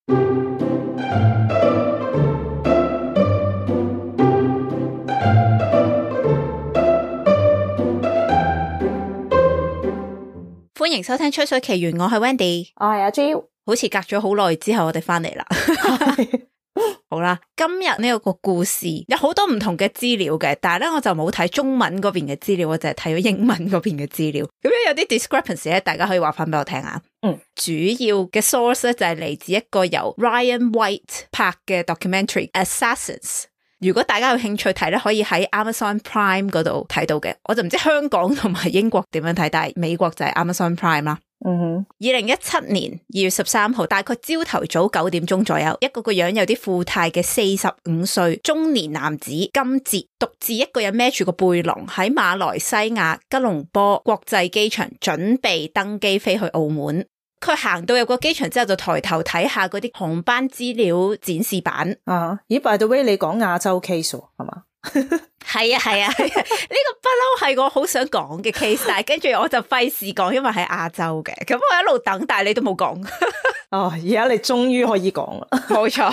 歡迎收聽吹水奇緣，我係 Wendy， 我係阿 Jill， 好似隔咗好耐之後我哋翻嚟啦。好啦，今日呢個故事有好多唔同嘅資料嘅，但係咧我就冇睇中文嗰邊嘅資料，我就係睇咗英文嗰邊嘅資料。咁樣有啲 discrepancy 咧，大家可以話翻俾我聽啊。主要嘅 source 咧就係嚟自一個由 Ryan White 拍嘅 documentary Assassins。如果大家有興趣睇咧，可以喺 Amazon Prime 嗰度睇到嘅。我就唔知香港同埋英國點樣睇，但係美國就係 Amazon Prime 啦。2017年2月13號，大概朝頭早9點鐘左右，一個樣有啲富態嘅45歲中年男子金哲，獨自一個人孭住個背囊喺馬來西亞吉隆坡國際機場準備登機飛去澳門。佢行到入個機場之後，就抬頭睇下嗰啲航班資料展示板。咦 by the way 你講亞洲 case 係嘛？係啊，呢個不嬲係我好想講嘅 case， 但係跟住我就費事講，因為喺亞洲嘅。咁我一路等，但係你都冇講。而家你終於可以講啦。冇錯。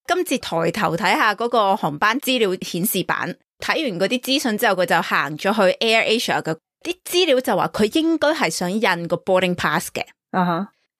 今次抬頭睇下嗰個航班資料顯示板，睇完嗰啲資訊之後，佢就行咗去 AirAsia 嘅啲資料，就話佢應該係想印個 boarding pass 嘅。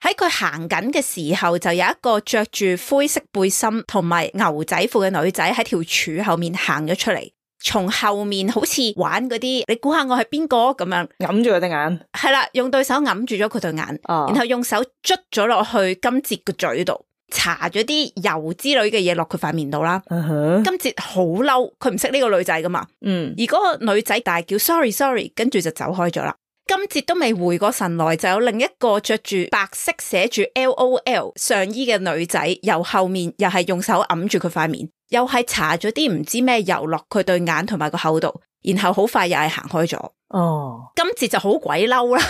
喺佢行緊嘅時候，就有一個着住灰色背心同埋牛仔褲嘅女仔喺條柱後面行咗出嚟，從後面好似玩嗰啲，你估下我係邊個咁樣，揞住佢對眼。係啦，用對手揞住咗佢對眼，然後用手捽咗落去金哲個嘴度，搽咗啲油之類嘅嘢落佢塊面度啦。金哲好嬲，佢唔識呢個女仔噶嘛。而嗰個女仔大叫 sorry， 跟住就走開咗啦。金哲都未回過神來，就有另一個着住白色寫住 LOL 上衣嘅女仔，由後面又係用手揞住佢塊面，又係搽咗啲唔知咩油落佢對眼同埋個口度，然後好快又係行開咗。金哲就好鬼嬲啦，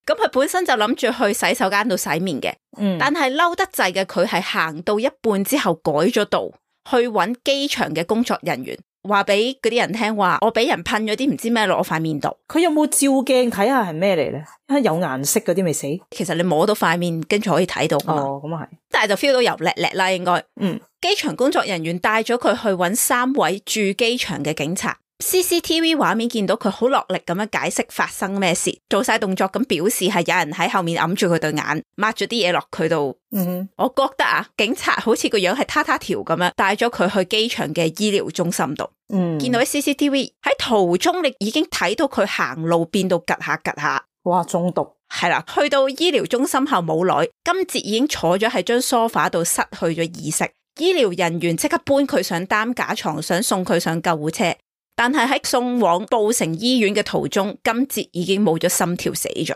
咁佢本身就諗住去洗手間度洗面嘅，但係嬲得滯嘅佢係行到一半之後改咗道，去揾機場嘅工作人員。話俾嗰啲人聽話，我俾人噴咗啲唔知咩落我塊面度。佢有冇照鏡睇下係咩嚟咧？有顏色嗰啲未死。其實你摸到塊面，跟住可以睇到噶嘛。咁啊係。但係就 feel 到油叻叻啦，應該。機場工作人員帶咗佢去揾3位駐機場嘅警察。CCTV 畫面見到佢好落力咁樣解釋發生咩事，做晒動作咁表示係有人喺後面揞住佢對眼，抹咗啲嘢落佢度。我覺得警察好似個樣係他條咁樣，帶咗佢去機場嘅醫療中心度。見到喺 CCTV 喺途中，你已經睇到佢行路變到趌下。哇，中毒。係啦，去到醫療中心後冇耐，金哲已經坐咗喺張梳化度失去咗意識。醫療人員即刻搬佢上擔架床，想送佢上救護車。但係喺送往布城醫院嘅途中，金哲已經冇咗心跳死咗。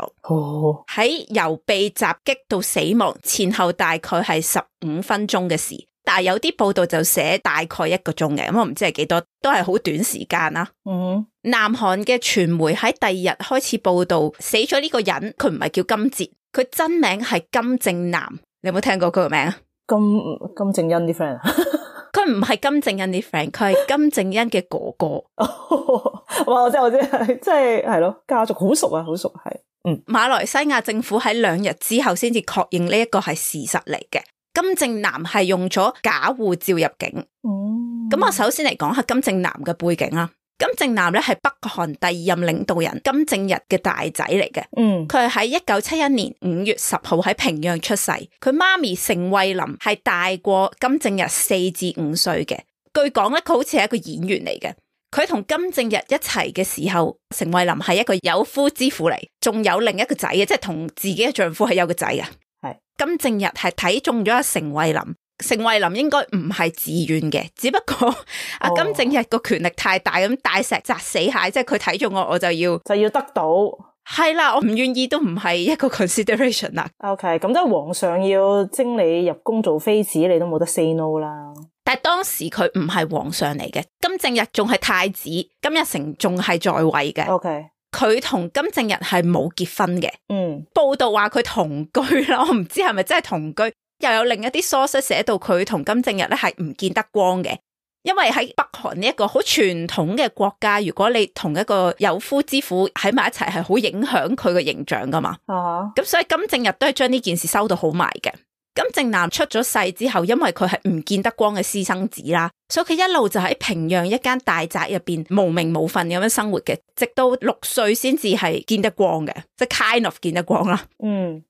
喺由被襲擊到死亡前後大概係15分鐘嘅事，但係有啲報道就寫大概1個鐘嘅，咁我唔知係幾多，都係好短時間啦。南韓嘅傳媒喺第2日開始報道死咗呢個人，佢唔係叫金哲，佢真名係金正男。你有冇聽過佢個名啊？金正恩啲 friend 佢唔係金正恩啲 friend， 佢係金正恩嘅哥哥。哇！我知，即係咯，家族好熟啊，好熟係。馬來西亞政府喺2日之後先至確認呢一個係事實嚟嘅。金正男係用咗假護照入境。咁我首先嚟講下金正男嘅背景啦。金正男咧係北韓第2任領導人金正日嘅大仔嚟嘅。佢係喺1971年5月10號喺平壤出世。佢媽咪成惠琳係大過金正日4至5歲嘅。據講咧，佢好似係一個演員嚟嘅。佢同金正日一齊嘅時候，成惠琳係一個有夫之婦嚟，仲有另一個仔嘅，即係同自己嘅丈夫係有個仔嘅。金正日係睇中咗阿成惠琳。成惠琳應該唔係自願嘅，只不過阿金正日個權力太大，咁大石砸死蟹，即係佢睇中我就要得到。係啦，我唔願意都唔係一個 consideration 啦。OK， 咁即係皇上要徵你入宮做妃子，你都冇得 say no 啦。但係當時佢唔係皇上嚟嘅，金正日仲係太子，金日成仲係在位嘅。OK。佢同金正日係冇結婚嘅。報道話佢同居啦，我唔知係咪真係同居。又有另一啲 source 寫到佢同金正日咧係唔見得光嘅，因為喺北韓呢一個好傳統嘅國家，如果你同一個有夫之婦喺埋一齊，係好影響佢嘅形象噶嘛。咁所以金正日都係將呢件事收到好埋嘅。金正男出咗世之後，因為佢係唔見得光嘅私生子啦，所以佢一路就喺平壤一間大宅入邊無名無份咁樣生活嘅，直到6歲先至係見得光嘅，即係 kind of 見得光啦。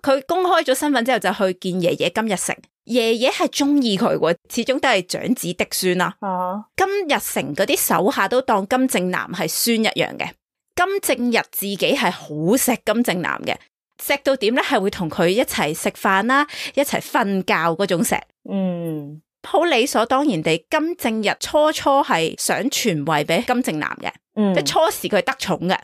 佢公開咗身份之後就去見爺爺金日成，爺爺係中意佢喎，始終都係長子嫡孫啦。金日成嗰啲手下都當金正男係孫一樣嘅。金正日自己係好錫金正男嘅，錫到點咧係會同佢一齊食飯啦，一齊瞓覺嗰種錫。好理所當然地，金正日初係想傳位俾金正男嘅，即係初時佢得寵嘅。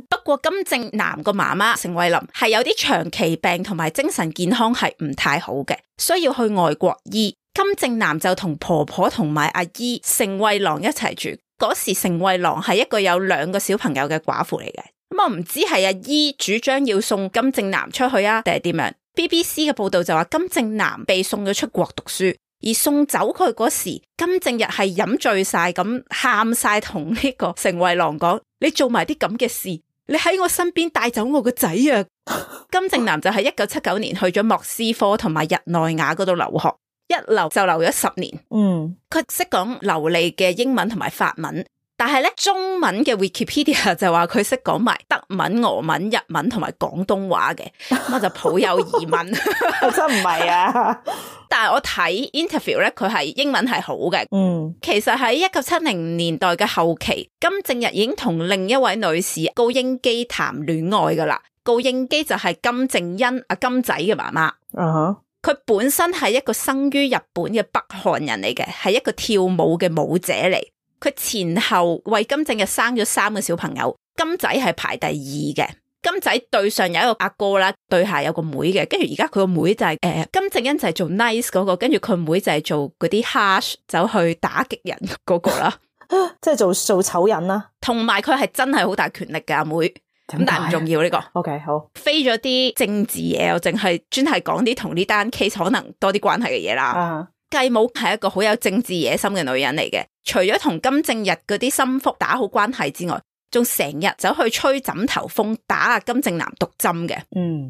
不過金正男個媽媽成惠琳係有啲長期病同埋精神健康係唔太好嘅，需要去外國醫。金正男就同婆婆同埋阿姨成惠郎一齊住。嗰時成惠郎係一個有2個小朋友嘅寡婦嚟嘅。咁我唔知係阿姨主張要送金正男出去啊，定係點樣 ？BBC 嘅報道就話金正男被送咗出國讀書，而送走佢嗰時，金正日係飲醉晒咁喊晒，同呢個成惠郎講：你做埋啲咁嘅事，你喺我身邊帶走我個仔啊！金正男就喺1979年去咗莫斯科同埋日內瓦嗰度留學。一留就留咗10年，佢識講流利嘅英文同埋法文，但係咧中文嘅 Wikipedia 就話佢識講埋德文、俄文、日文同埋廣東話嘅，咁我就抱有疑問，真唔係啊！但係我睇 interview 咧，佢係英文係好嘅。其實喺1970年代嘅後期，金正日已經同另一位女士高英基談戀愛噶啦。高英基就係金正恩阿金仔嘅媽媽。佢本身係一個生於日本嘅北韓人嚟嘅，係一個跳舞嘅舞者嚟。佢前後為金正日生咗3個小朋友，金仔係排第2嘅。金仔對上有一個阿哥啦，對下有個妹嘅，跟住而家佢個妹就係金正恩就係做 nice 嗰個，跟住佢妹就係做嗰啲 harsh 走去打擊人嗰個啦，即係做醜人啦。同埋佢係真係好大權力嘅阿妹。咁但係唔重要呢個。OK 好，飛咗啲政治嘢，我淨係專係講啲同呢單 case 可能多啲關係嘅嘢啦。繼母係一個好有政治野心嘅女人嚟嘅，除咗同金正日嗰啲心腹打好關係之外，仲成日走去吹枕頭風，打阿金正男毒針嘅。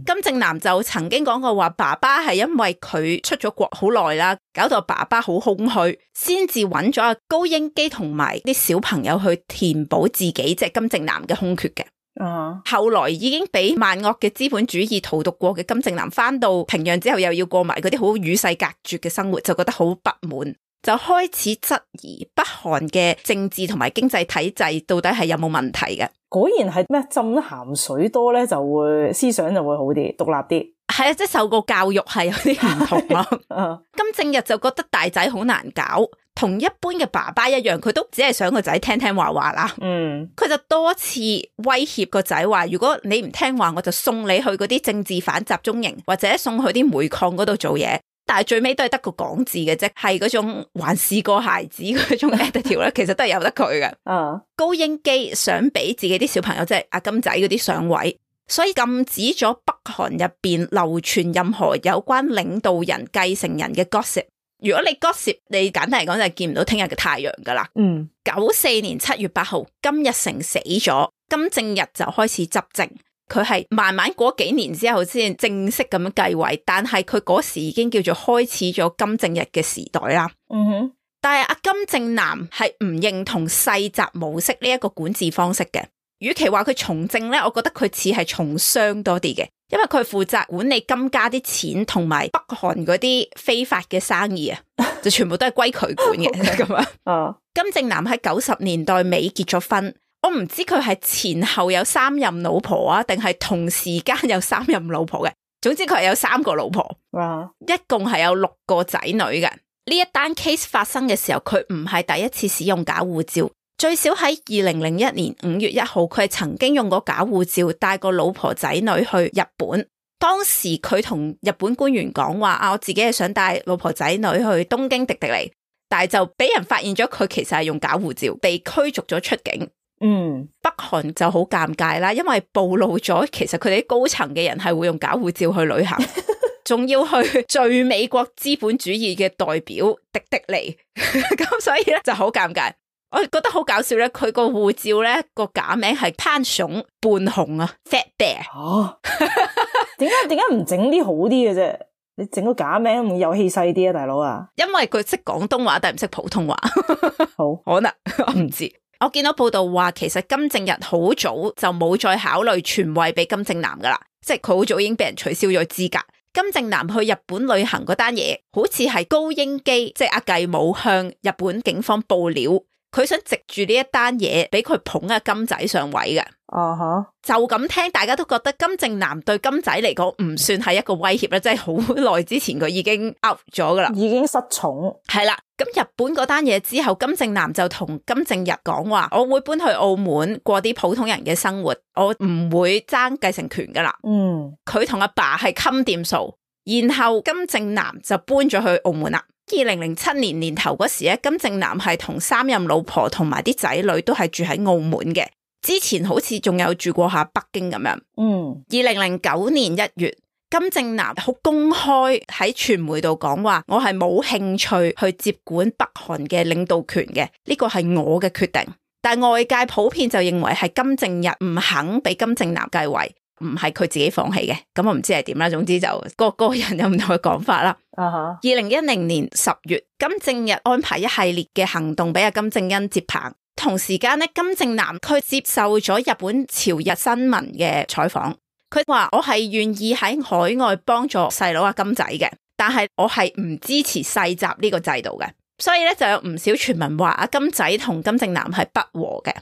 金正男就曾經講過話，爸爸係因為佢出咗國好耐啦，搞到爸爸好空虛，先至揾咗阿高英基同埋啲小朋友去填補自己即係金正男嘅空缺嘅。後來已經俾萬惡嘅資本主義荼毒過嘅金正男翻到平壤之後，又要過埋嗰啲好與世隔絕嘅生活，就覺得好不滿，就開始質疑北韓嘅政治同埋經濟體制到底係有冇問題嘅。果然係咩浸鹹水多咧，就會思想就會好啲，獨立啲。係啊，即係受過教育係有啲唔同咯。金正日就覺得大仔好難搞，同一般嘅爸爸一樣，佢都只係想個仔聽聽話話啦。佢就多次威脅個仔話，如果你唔聽話，我就送你去嗰啲政治犯集中營，或者送去啲煤礦嗰度做嘢。但係最尾都係得個講字嘅啫，係嗰種還是個孩子嗰種 attitude 咧，其實都係由得佢嘅。高英基想俾自己啲小朋友即係阿金仔嗰啲上位，所以禁止咗北韓入邊流傳任何有關領導人繼承人嘅 gossip。如果你 gossip， 你簡單嚟講就係見唔到聽日嘅太陽噶啦。94年7月8號，金日成死咗，金正日就開始執政。佢係慢慢過幾年之後先正式咁樣繼位，但係佢嗰時已經叫做開始咗金正日嘅時代啦。但係阿金正男係唔認同世襲模式呢一個管治方式嘅。與其話佢從政咧，我覺得佢似係從商多啲嘅，因為佢負責管理金家啲錢同埋北韓嗰啲非法嘅生意啊，就全部都係歸佢管嘅咁啊。金正男喺90年代尾結咗婚。我唔知佢係前後有3任老婆啊，定係同時間有3任老婆嘅。總之佢係有3個老婆，一共係有6個仔女嘅。呢一單 case 發生嘅時候，佢唔係第一次使用假護照，最少喺2001年5月1號，佢係曾經用過假護照帶個老婆仔女去日本。當時佢同日本官員講話我自己係想帶老婆仔女去東京迪迪尼，但係就俾人發現咗佢其實係用假護照，被驅逐咗出境。北韓就好尷尬啦，因為暴露咗其實佢哋啲高層嘅人係會用假護照去旅行，仲要去聚美國資本主義嘅代表迪迪尼，咁所以咧就好尷尬。我覺得好搞笑咧，佢個護照咧個假名係潘熊半熊啊 ，Fat Bear。點解唔整啲好啲嘅啫？你整個假名會有氣勢啲啊，大佬啊！因為佢識廣東話，但係唔識普通話。好，可能我唔知。我見到報道話，其實金正日好早就冇再考慮傳位俾金正男噶啦，即係佢好早已經俾人取消咗資格。金正男去日本旅行嗰單嘢，好似係高英基，即係阿繼武向日本警方報料，佢想藉住呢一單嘢俾佢捧阿金仔上位嘅。就咁聽，大家都覺得金正男對金仔嚟講唔算係一個威脅啦，即係好耐之前佢已經 out 咗噶啦，已經失寵。係啦，咁日本嗰單嘢之後，金正男就同金正日講話，我會搬去澳門過啲普通人嘅生活，我唔會爭繼承權噶啦。佢同阿爸係冚掂數，然後金正男就搬咗去澳門啦。2007年年頭嗰時咧，金正男係同3任老婆同埋啲仔女都係住喺澳門嘅。之前好似仲有住過下北京咁樣。2009年1月，金正男好公開喺傳媒度講話，我係冇興趣去接管北韓嘅領導權嘅，呢個係我嘅決定。但外界普遍就認為係金正日唔肯俾金正男繼位，唔係佢自己放棄嘅。咁我唔知係點啦，總之就個人有唔同嘅講法啦。2010年10月，金正日安排一系列嘅行動俾阿金正恩接棒。同時間咧，金正男佢接受咗日本朝日新聞嘅採訪，佢話我係願意喺海外幫助細佬阿金仔嘅，但係我係唔支持世襲呢個制度嘅，所以咧就有唔少傳聞話阿金仔同金正男係不和嘅。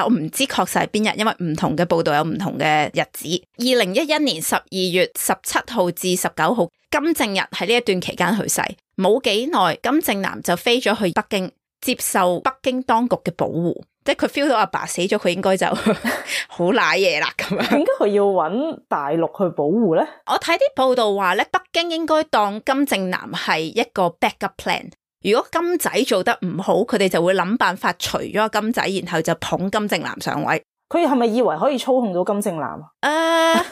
我唔知確實係邊日，因為唔同嘅報道有唔同嘅日子。2011年12月17號至19號，金正日喺呢一段期間去世，冇幾耐，金正男就飛咗去北京。接受北京當局嘅保護，即係佢 feel 到阿爸死咗，佢應該就好瀨嘢啦咁樣。點解佢要揾大陸去保護咧？我睇啲報道話咧，北京應該當金正男係一個 backup plan。如果金仔做得唔好，佢哋就會諗辦法除咗阿金仔，然後就捧金正男上位。佢係咪以為可以操控到金正男啊？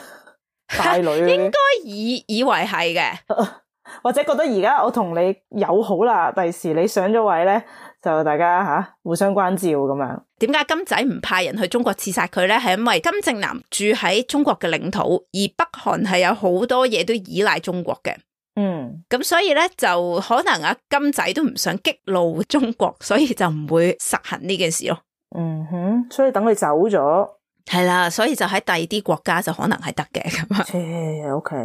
大女應該以為係嘅。或者覺得而家我同你友好啦，第時你上咗位咧，就大家互相關照咁樣。點解金仔唔派人去中國刺殺佢咧？係因為金正男住喺中國嘅領土，而北韓係有好多嘢都依賴中國嘅。咁所以咧就可能阿金仔都唔想激怒中國，所以就唔會實行呢件事咯。所以等佢走咗，係啦，所以就喺第二啲國家就可能係得嘅咁啊。OK。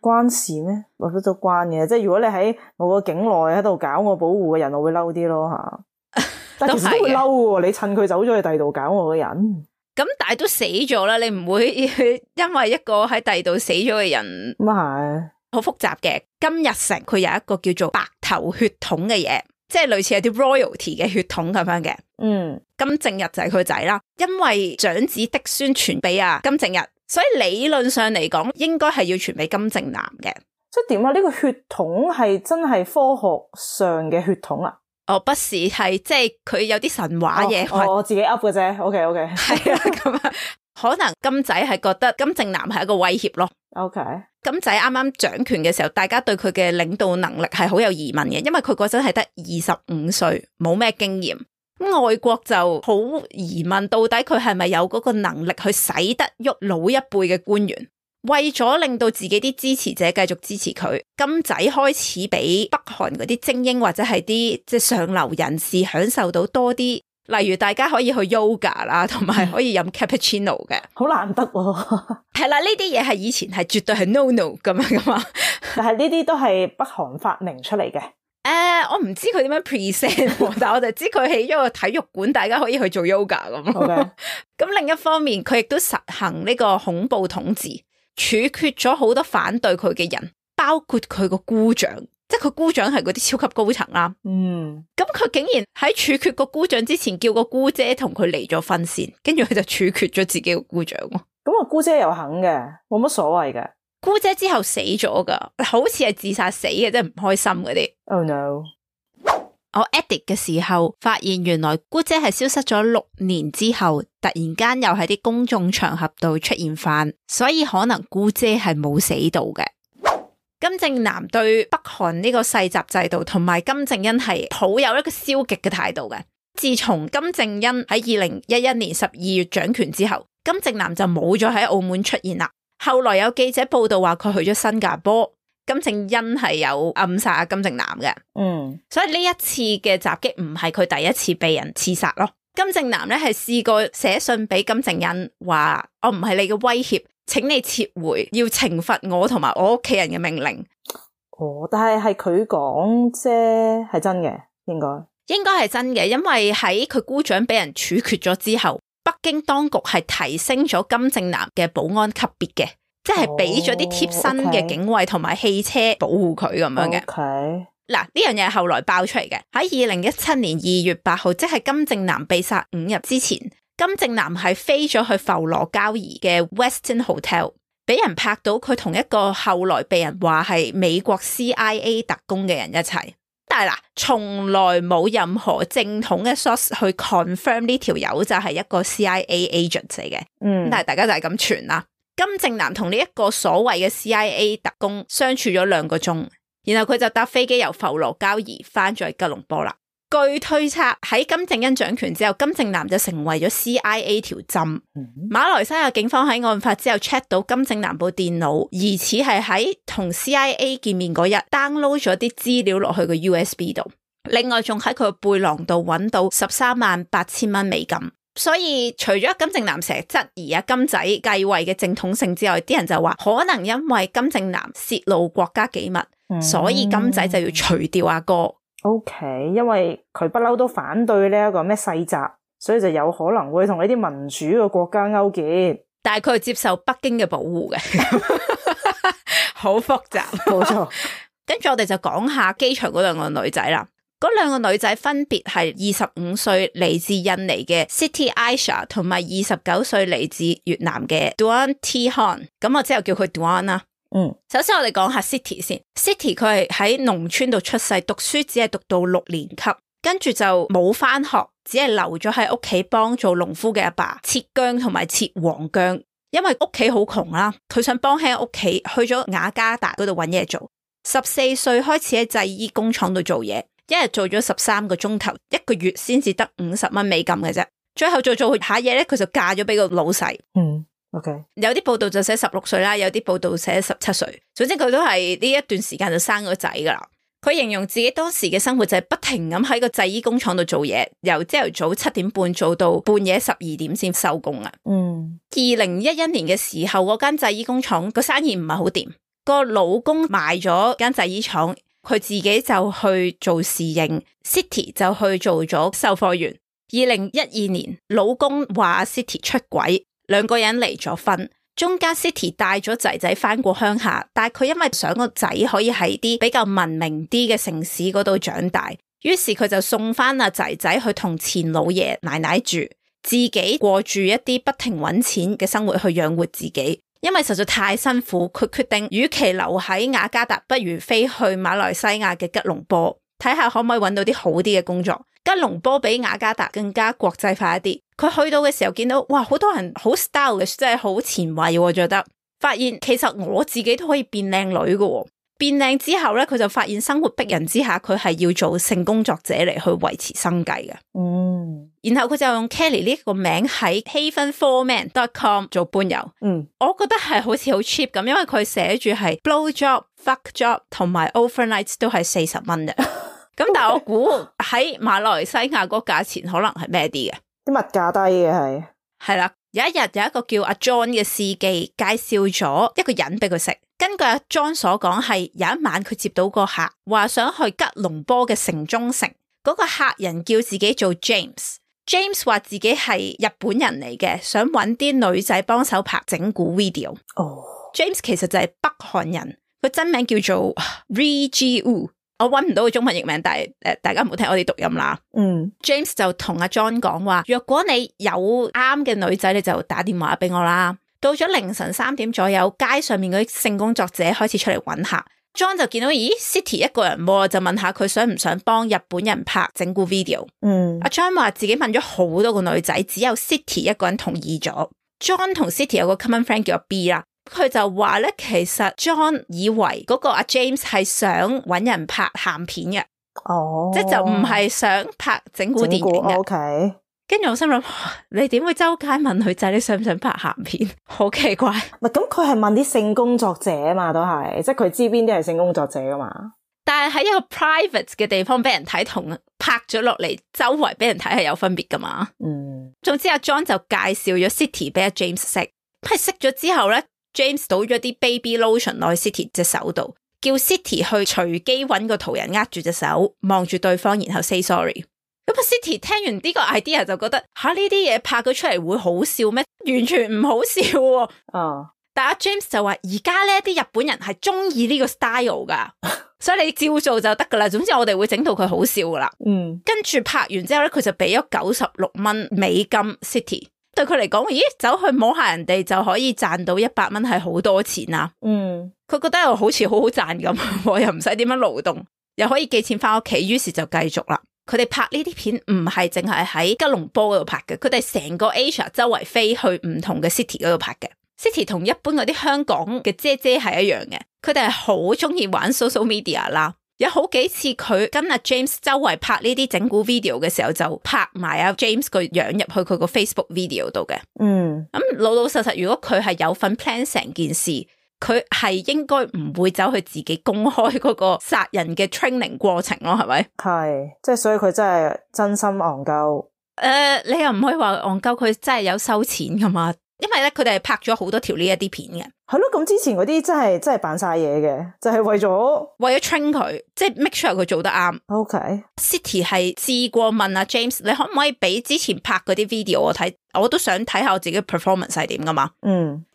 關事咩？我覺得都關嘅，即係如果你喺我個境內喺度搞我保護嘅人，我會嬲啲咯吓。但係其實都會嬲嘅，你趁佢走咗去第二度搞我嘅人，咁但係都死咗啦，你唔會因為一個喺第二度死咗嘅人咁係好複雜嘅。金日成佢有一個叫做白頭血統嘅嘢，即係類似係啲 royalty 嘅血統咁樣嘅。金正日就係佢仔啦，因為長子嫡孫傳俾金正日。所以理論上嚟講，應該係要傳俾金正男嘅。即係點啊？呢個血統係真係科學上嘅血統啊？不是，係即係佢有啲神話嘢。我自己噏嘅啫。OK。係啊，咁啊，可能金仔係覺得金正男係一個威脅咯。OK。金仔啱啱掌權嘅時候，大家對佢嘅領導能力係好有疑問嘅，因為佢嗰陣係得25歲，冇咩經驗。外國就好疑問，到底佢係咪有嗰個能力去使得喐老一輩嘅官員？為咗令到自己啲支持者繼續支持佢，金仔開始俾北韓嗰啲精英或者係啲即係上流人士享受到多啲，例如大家可以去 yoga 啦，同埋可以飲 cappuccino 嘅，好難得喎。係啦，呢啲嘢係以前係絕對係 no 咁樣噶嘛，但係呢啲都係北韓發明出嚟嘅。我唔知佢點樣 present， 但係我就知佢起咗個體育館，大家可以去做 yoga 咁。咁另一方面，佢亦都實行呢個恐怖統治，處決咗好多反對佢嘅人，包括佢個姑丈，即係佢姑丈係嗰啲超級高層啦。咁佢竟然喺處決個姑丈之前，叫個姑姐同佢離咗婚先，跟住佢就處決咗自己個姑丈。咁個姑姐又肯嘅，冇乜所謂嘅。姑姐之後死咗噶，好似係自殺死嘅，即係唔開心嗰啲。Oh no！ 我 edit 嘅時候發現，原來姑姐係消失咗6年之後，突然間又喺啲公眾場合度出現翻，所以可能姑姐係冇死到嘅。金正男對北韓呢個世襲制度同埋金正恩係抱有一個消極嘅態度嘅。自從金正恩喺2011年12月掌權之後，金正男就冇咗喺澳門出現啦。後來有記者報道話佢去咗新加坡，金正恩係有暗殺金正男嘅。所以呢一次嘅襲擊唔係佢第一次被人刺殺咯。金正男咧係試過寫信俾金正恩話，我唔係你嘅威脅，請你撤回要懲罰我同埋我屋企人嘅命令。但係佢講啫，係真嘅，應該係真嘅，因為喺佢姑丈俾人處決咗之後，北京當局係提升咗金正男嘅保安級別嘅，即係俾咗啲貼身嘅警衛同埋汽車保護佢咁樣嘅。嗱，呢樣嘢係後來爆出嚟嘅。喺2017年2月8號，即係金正男被殺5日之前，金正男係飛咗去浮羅交怡嘅 Westin Hotel， 俾人拍到佢同一個後來被人話係美國 CIA 特工嘅人一齊。但係嗱，從來冇任何正統嘅 source 去 confirm 呢條友就係一個 CIA agent 嚟嘅。但係大家就係咁傳啦。金正男同呢一個所謂嘅 CIA 特工相處咗2個鐘。然後佢就搭飛機由浮羅交怡翻咗去吉隆坡啦。據推測喺金正恩掌權之後，金正男就成為咗 CIA 條針。馬來西亞警方喺案發之後 check 到金正男部電腦，疑似係喺同 CIA 見面嗰日 download 咗啲資料落去個 USB 度。另外仲喺佢個背囊度揾到138000蚊美金。所以除咗金正男成日質疑金仔繼位嘅正統性之外，啲人就話可能因為金正男泄露國家機密，所以金仔就要除掉阿哥。因為佢不嬲都反對呢一個咩世襲，所以就有可能會同呢啲民主嘅國家勾結。但係佢係接受北京嘅保護嘅，好複雜。冇錯。跟住我哋就講下機場嗰2個女仔啦。嗰2個女仔分別係25歲嚟自印尼嘅 Siti Aisyah 同埋29歲嚟自越南嘅 Doan Thi Huong。咁我之後叫佢 Doan 啦。首先我哋講下 Siti 先。Siti 佢係喺農村度出世，讀書只係讀到6年級，跟住就冇翻學，只係留咗喺屋企幫做農夫嘅阿爸切薑同埋切黃薑。因為屋企好窮啦，佢想幫喺屋企，去咗雅加達嗰度搵嘢做。14歲開始喺製衣工廠度做嘢，一日做咗13個鐘頭，一個月先至得50蚊美金嘅啫。最後做下嘢咧，佢就嫁咗俾個老細。有啲報道就寫16歲啦，有啲報道寫17歲。總之佢都係呢一段時間就生咗仔噶啦。佢形容自己當時嘅生活就係不停咁喺個製衣工廠度做嘢，由朝頭早7點半做到半夜12點先收工啊。2011年嘅時候，嗰間製衣工廠個生意唔係好掂，個老公賣咗間製衣廠，佢自己就去做侍應， Siti 就去做咗售貨員。2012年，老公話 Siti 出軌，2個人離咗婚。中間 Siti 帶咗仔仔翻過鄉下，但係佢因為想個仔可以喺啲比較文明啲嘅城市嗰度長大，於是佢就送翻阿仔仔去同前老爺奶奶住，自己過住一啲不停搵錢嘅生活去養活自己。因為實在太辛苦，佢決定與其留喺雅加達，不如飛去馬來西亞嘅吉隆坡，睇下可唔可以搵到啲好啲嘅工作。吉隆坡比雅加達更加國際化一啲。佢去到嘅時候見到，哇，好多人好 style 嘅，真係好前衛，我覺得。發現其實我自己都可以變靚女嘅。變靚之後咧，佢就發現生活逼人之下，佢係要做性工作者嚟去維持生計嘅。然後佢就用 Kelly 呢個名喺 haven4man.com 做伴遊。我覺得係好似好 cheap 咁，因為佢寫住係 blow job、fuck job 同埋 overnight 都係40蚊嘅。咁但係我估喺馬來西亞嗰個價錢可能係咩啲嘅？啲物價低嘅係啦。有一日有一個叫阿 John 嘅司機介紹咗一個人俾佢識。根據阿 John 所講，係有一晚佢接到個客話想去吉隆坡嘅城中城，嗰個客人叫自己做 James 話自己係日本人嚟嘅，想搵啲女仔幫手拍整蠱 video。James 其實就係北韓人，佢真名叫做 Ri Ji Woo。我搵唔到個中文譯名，但係大家唔好聽我哋讀音啦。James 就同阿 John 講話，若果你有啱嘅女仔，你就打電話俾我啦。到咗凌晨3點左右，街上面嗰啲性工作者開始出嚟搵客。John 就見到咦 Siti 一個人喎，就問下佢想唔想幫日本人拍整蠱 video。阿 John 話自己問咗好多個女仔，只有 Siti 一個人同意咗。John 同 Siti 有個 common friend 叫 B 啦。佢就話咧，其實 John 以為嗰個阿 James 係想搵人拍鹹片嘅，即係就唔係想拍整蠱電影嘅。跟住我心諗，你點會周街問女仔你想唔想拍鹹片？好奇怪。唔係咁，佢係問啲性工作者啊嘛，都係，即係佢知邊啲係性工作者噶嘛。但係喺一個 private 嘅地方俾人睇，同拍咗落嚟周圍俾人睇係有分別噶嘛。總之阿 John 就介紹咗 City 俾阿 James 識，係識咗之後咧 ，James 倒咗啲 baby lotion 落去 City 隻手度，叫 City 去隨機搵個圖人握住隻手，望住對方，然後 say sorry。咁啊 City 聽完呢個 idea 就覺得吓，呢啲嘢拍咗出嚟會好笑咩？完全唔好笑喎。但阿 James 就話而家呢啲日本人係中意呢個 style 噶，所以你照做就得噶啦。總之我哋會整到佢好笑噶啦。跟住拍完之後咧，佢就俾咗96蚊美金 City。對佢嚟講，咦，走去摸下人哋就可以賺到100蚊，係好多錢啊。佢覺得又好似好好賺咁，又唔使點樣勞動，又可以寄錢翻屋企，於是就繼續啦。佢哋拍呢啲片唔係淨係喺吉隆坡嗰度拍嘅，佢哋成個 Asia 周圍飛去唔同嘅 city 嗰度拍嘅。City 同一般嗰啲香港嘅姐姐係一樣嘅，佢哋係好中意玩 social media 啦。有好幾次佢跟阿 James 周圍拍呢啲整蠱 video 嘅時候，就拍埋阿 James 個樣入去佢個 Facebook video 度嘅。咁老老實實，如果佢係有份 plan 成件事，佢係應該唔會走去自己公開嗰個殺人嘅 training 過程咯，係咪？係，即係所以佢真係真心戇鳩。你又唔可以話戇鳩，佢真係有收錢噶嘛？因為咧，佢哋係拍咗好多條呢一啲片嘅。係咯，咁之前嗰啲真係扮晒嘢嘅，就係為咗 train 佢，即係 make sure 佢做得啱。City 係試過問阿 James， 你可唔可以俾之前拍嗰啲 video 我睇？我都想睇下我自己 performance 係點噶嘛。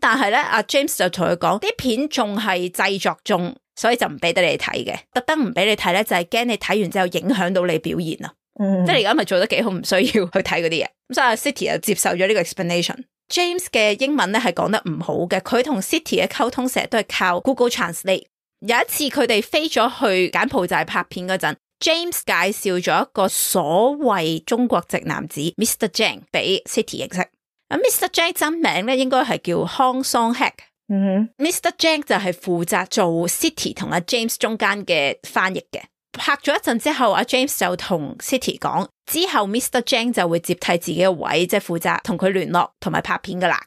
但係咧，阿 James 就同佢講，啲片仲係製作中，所以就唔俾得你睇嘅。特登唔俾你睇咧，就係驚你睇完之後影響到你表現啊。即係你而家咪做得幾好，唔需要去睇嗰啲嘢。咁所以阿 City 就接受咗呢個 explanation。James 嘅英文咧係講得唔好嘅，佢同 City 嘅溝通成日都係靠 Google Translate。有一次佢哋飛咗去柬埔寨拍片嗰陣， James 介紹咗一個所謂中國籍男子 Mr. Jang 俾 City 認識。Mr. Jang 真名咧應該係叫 Hong Song Hak。Mr. Jang 就係負責做 City 同阿 James 中間嘅翻譯嘅。拍咗一陣之後，阿 James 就同 City 講，之後 Mr. Jang 就會接替自己嘅位，即係負責同佢聯絡同埋拍片噶啦。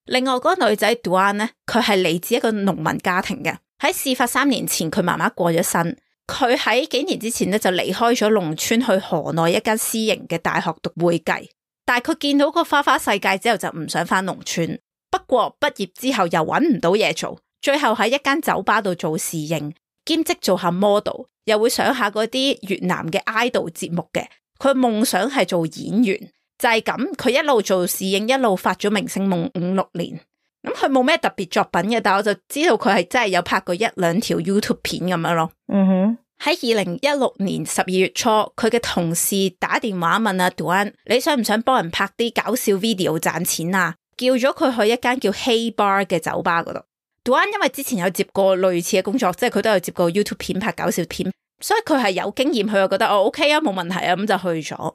另外嗰個女仔 Duan 咧，佢係嚟自一個農民家庭嘅。喺事發3年前，佢媽媽過咗身，佢喺幾年之前咧就離開咗農村，去河內一間私營嘅大學讀會計。但係佢見到個花花世界之後，就唔想翻農村。不過畢業之後又搵唔到嘢做，最後喺一間酒吧度做侍應，兼職做下 model。又會上下嗰啲越南嘅 idol 節目嘅，佢夢想係做演員，就係咁，佢一路做侍應，一路發咗明星夢5-6年。咁佢冇咩特別作品嘅，但我就知道佢係真係有拍過1-2條 YouTube 片咁樣咯。喺2016年12月初，佢嘅同事打電話問阿 Duan， 你想唔想幫人拍啲搞笑 video 賺錢啊？叫咗佢去一間叫 Hey Bar 嘅酒吧嗰度。Duan 因為之前有接過類似嘅工作，即係佢都有接過 YouTube 片拍搞笑片，所以佢係有經驗，佢又覺得OK 啊，冇問題啊，咁就去咗。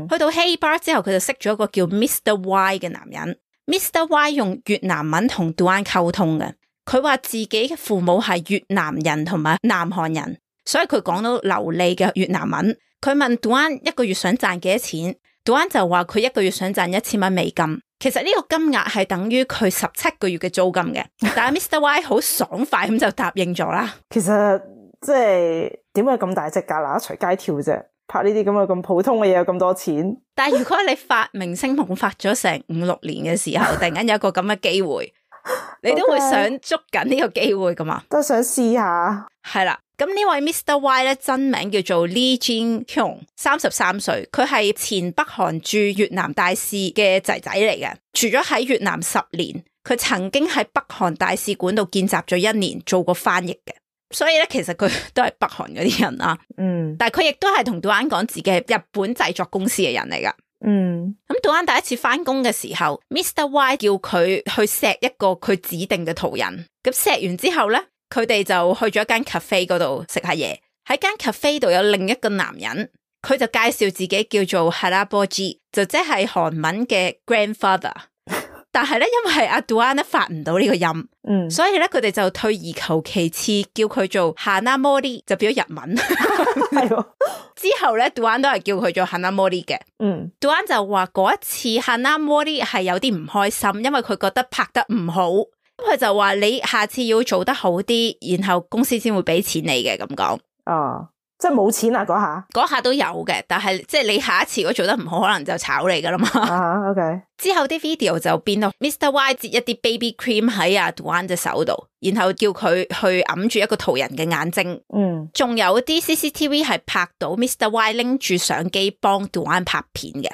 去到 Hey Bar 之後，佢就識咗一個叫 Mr. Y 嘅男人。Mr. Y 用越南文同 Duan 溝通嘅，佢話自己嘅父母係越南人同埋南韓人，所以佢講到流利嘅越南文。佢問 Duan 一個月想賺幾多錢， Duan 就話佢一個月想賺1000蚊美金。其實呢個金額係等於佢17個月嘅租金嘅，但係 Mr. Y 好爽快咁就答應咗啦。其實即係點解咁大隻蛤乸隨街跳啫？拍呢啲咁嘅咁普通嘅嘢有咁多錢？但係如果你發明星夢發咗成5-6年嘅時候，突然間有一個咁嘅機會，你都會想捉緊呢個機會噶嘛？都想試下。係啦。咁呢位 Mr. Y 咧真名叫做 Lee Jin Hyung，33歲，佢係前北韓駐越南大使嘅仔仔嚟嘅，住咗喺越南10年，佢曾經喺北韓大使館度見習咗1年，做過翻譯嘅，所以咧其實佢都係北韓嗰啲人啊。但係佢亦都係同 Duan 講自己係日本製作公司嘅人嚟噶。咁 Duan 第一次翻工嘅時候 ，Mr. Y 叫佢去錫一個佢指定嘅途人，咁錫完之後咧，佢哋就去咗一間 cafe 嗰度食下嘢。喺間 cafe 度有另一個男人，佢就介紹自己叫做 Halabojji，就即係韓文嘅 grandfather。但係咧因為阿 Duane 咧發唔到呢個音，所以咧佢哋就退而求其次，叫佢做 Hanamori 就變咗日文。係之後咧 Duane 都係叫佢做 Hanamori 嘅。Duane 就話嗰一次 Hanamori 係有啲唔開心，因為佢覺得拍得唔好，佢就話你下次要做得好啲，然後公司先會俾錢你嘅咁講。即係冇錢啊嗰下都有嘅，但係即係你下一次如果做得唔好，可能就炒你噶啦嘛。OK。之後啲 video 就變到 Mr. Y 擠一啲 baby cream 喺阿 Duane 隻手度，然後叫佢去揞住一個途人嘅眼睛。仲有啲 CCTV 係拍到 Mr. Y 拎住相機幫 Duane 拍片嘅。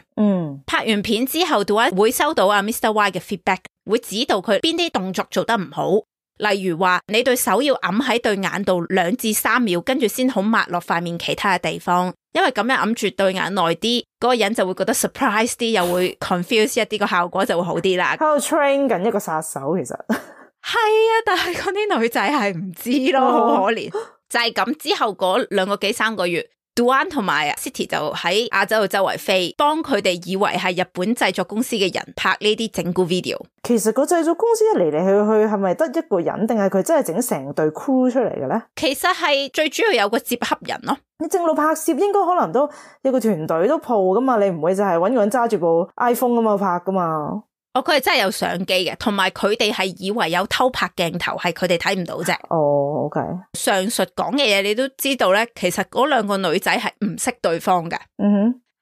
拍完片之後 Duane 會收到阿 Mr. Y 嘅 feedback， 會指導佢邊啲動作做得唔好。例如話你對手要揞喺對眼度2至3秒，跟住先好抹落塊面其他嘅地方，因為咁樣揞住對眼耐啲，嗰個人就會覺得 surprise 啲，又會 confuse 一啲，個效果就會好啲啦。喺度 train 緊一個殺手，其實係啊，但係嗰啲女仔係唔知咯，好可憐。就係咁之後嗰2個幾3個月，Duane 同埋 City 就喺亞洲度周圍飛，幫佢哋以為係日本製作公司嘅人拍呢啲整蠱 video。其實個製作公司一嚟嚟去去係咪得一個人，定係佢真係整成隊 crew 出嚟嘅咧？其實係最主要有個接洽人咯。你正路拍攝應該可能都有個團隊都鋪噶嘛，你唔會就係搵個人揸住部 iPhone 咁嘛拍噶嘛。佢係真係有相機嘅，同埋佢哋係以為有偷拍鏡頭，係佢哋睇唔到啫。OK。上述講嘅嘢你都知道咧，其實嗰2個女仔係唔識對方嘅。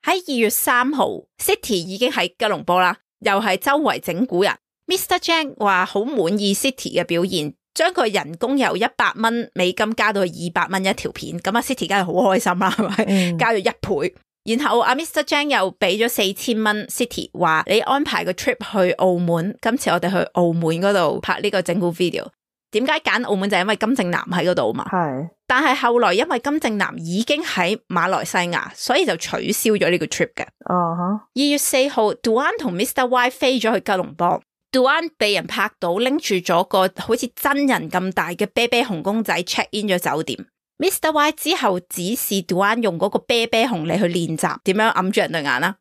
喺2月3號 City 已經喺吉隆坡啦，又係周圍整蠱人。Mr. Jang 話好滿意 City 嘅表現，將佢人工由$100加到去200蚊一條片，咁City 梗係好開心啦，係咪？加咗1倍。然後Mr. Jang 又俾咗4000蚊 City， 話你安排個 trip 去澳門，今次我哋去澳門嗰度拍呢個整蠱 video。點解揀澳門就係因為金正男喺嗰度嘛。係。但係後來因為金正男已經喺馬來西亞，所以就取消咗呢個 trip 嘅。2月4號 Duane 同 Mr. Y 飛咗去吉隆坡。Duane 被人拍到拎住咗個好似真人咁大嘅啤啤熊公仔 check in 咗酒店。Mr. Y 之後指示 Duane 用嗰個啤啤熊嚟去練習點樣揞住人對眼啦。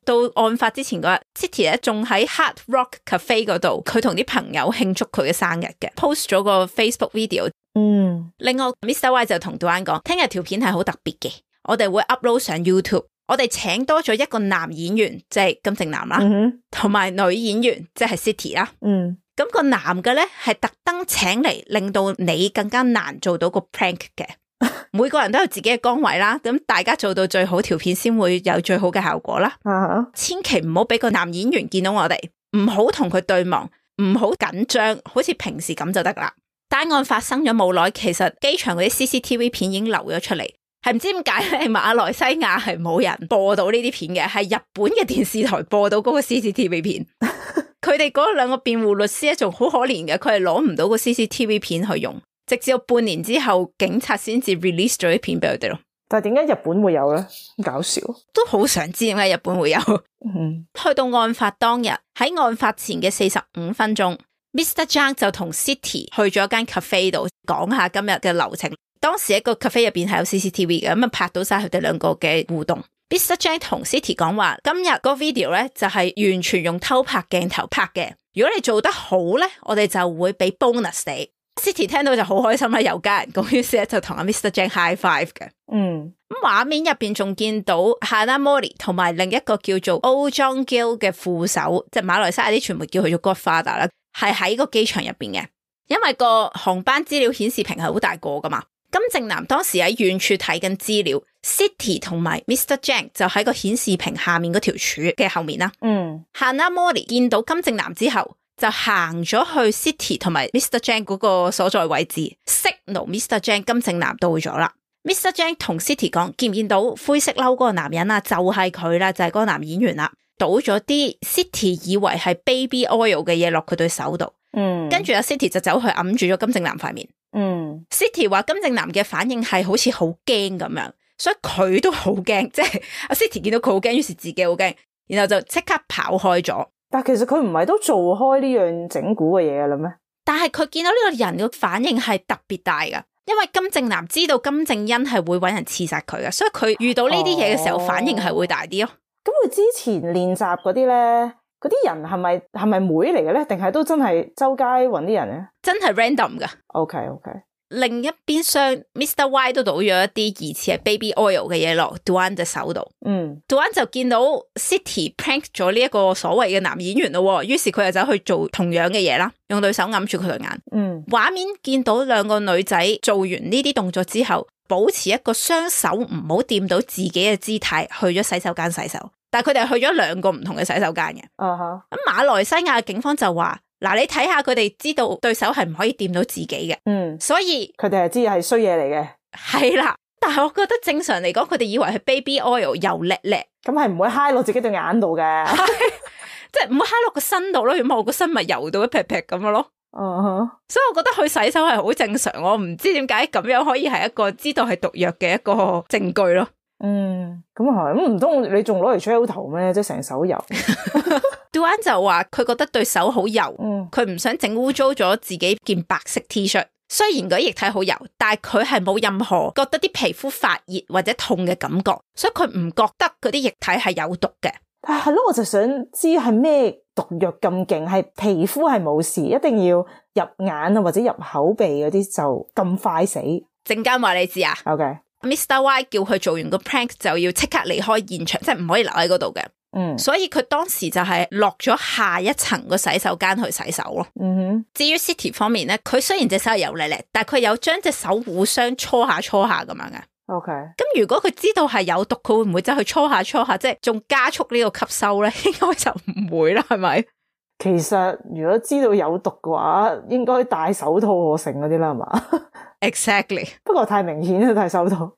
到案發之前嗰日 City 咧仲喺 Hard Rock Cafe 嗰度，佢同啲朋友慶祝佢嘅生日嘅 ，post 咗個 Facebook video。另外 Mr. Y 就同 Duane 講，聽日條片係好特別嘅，我哋會 upload 上 YouTube。我哋請多咗一個男演員，即係金正男啦，同埋女演員，即係 City 啦。咁個男嘅咧係特登請嚟，令到你更加難做到個 prank 嘅。每個人都有自己嘅崗位啦，咁大家做到最好，條片先會有最好嘅效果啦。千祈唔好俾個男演員見到我哋，唔好同佢對望，唔好緊張，好似平時咁就得啦。單案發生咗冇耐，其實機場嗰啲 CCTV 片已經流咗出嚟。係唔知點解咧？馬來西亞係冇人播到呢啲片嘅，係日本嘅電視台播到嗰個 CCTV 片。佢哋嗰2個辯護律師咧，仲好可憐嘅，佢係攞唔到個 CCTV 片去用，直至到半年之後，警察先至 release 咗啲片俾佢哋咯。但係點解日本會有咧？搞笑，都好想知點解日本會有。去到案發當日，喺案發前嘅45分鐘 ，Mr. Jang 就同 City 去咗間 cafe 度講下今日嘅流程。當時一個 cafe 入邊係有 CCTV 嘅，咁拍到晒佢哋2個嘅互動。Mr. Jang 同 City 講話，今日個 video 咧就係完全用偷拍鏡頭拍嘅。如果你做得好咧，我哋就會俾 bonus 你。City 聽到就好開心啦，又加人工，於是咧就同阿 Mr. Jang high five 嘅。咁畫面入邊仲見到 Hanamori 同埋另一個叫做 Oh Jong Gil 嘅副手，即係馬來西亞啲傳媒叫佢做 Godfather 啦，係喺個機場入邊嘅。因為個航班資料顯示屏係好大個噶嘛。金正男當時喺遠處睇緊資料 ，City 同埋 Mr. Jang 就喺個顯示屏下面嗰條柱嘅後面啦。Hanamori 見到金正男之後，就行咗去 City 同埋 Mr. Jang 嗰個所在位置 ，signal Mr. Jang 金正男到咗啦。Mr. Jang 同 City 講，見唔見到灰色褸嗰個男人啊？就係佢啦，就係嗰個男演員啦。倒咗啲 City 以為係 baby oil 嘅嘢落佢對手度。跟住阿 City 就走去揞住咗金正男塊面。City 話金正男嘅反應係好似好驚咁樣，所以佢都好驚，即係阿 City 見到佢好驚，於是自己好驚，然後就即刻跑開咗。但其實佢唔係都做開呢樣整蠱嘅嘢啦咩？但係佢見到呢個人嘅反應係特別大噶，因為金正男知道金正恩係會搵人刺殺佢噶，所以佢遇到呢啲嘢嘅時候反應係會大啲咯。咁佢之前練習嗰啲咧，嗰啲人係咪妹嚟嘅咧？定係都真係周街揾啲人咧？真係 random 噶。OK。另一邊廂 Mr. Y 都倒咗一啲疑似係 baby oil 嘅嘢落 Duane 隻手度。Duane 就見到 City prank 咗呢一個所謂嘅男演員咯，於是佢又走去做同樣嘅嘢啦，用對手揞住佢對眼。畫面見到兩個女仔做完呢啲動作之後，保持一個雙手唔好掂到自己嘅姿態，去咗洗手間洗手。但係佢哋去咗兩個唔同嘅洗手間嘅。咁馬來西亞警方就話，嗱，你睇下佢哋知道對手係唔可以掂到自己嘅，所以佢哋係知係衰嘢嚟嘅。係啦，但係我覺得正常嚟講，佢哋以為係 baby oil 油叻叻，咁係唔會揩落自己對眼度嘅，即係唔會揩落個身度咯。如果我個身咪油到一劈劈咁樣咯。所以我覺得去洗手係好正常，我唔知點解咁樣可以係一個知道係毒藥嘅一個證據咯。咁係，咁唔通你仲攞嚟吹頭咩？即係成手油。Duane 就話佢覺得對手好油，佢唔想整污糟咗自己件白色 T 恤。雖然嗰啲液體好油，但係佢係冇任何覺得啲皮膚發熱或者痛嘅感覺，所以佢唔覺得嗰啲液體係有毒嘅。但係咯，我就想知係咩毒藥咁勁，係皮膚係冇事，一定要入眼啊或者入口鼻嗰啲就咁快死。陣間話你知啊。OK。Mr. Y 叫佢做完個 prank 就要即刻離開現場，即係唔可以留喺嗰度嘅。所以佢當時就係落咗下一層個洗手間去洗手咯。至於 City 方面咧，佢雖然隻手係油膩膩，但係佢有將隻手互相搓下咁樣嘅。OK。咁如果佢知道係有毒，佢會唔會走去搓下，即係仲加速呢個吸收咧？應該就唔會啦，係咪？其實如果知道有毒嘅話，應該戴手套我成嗰啲啦，係嘛？Exactly。不過太明顯啦，戴手套。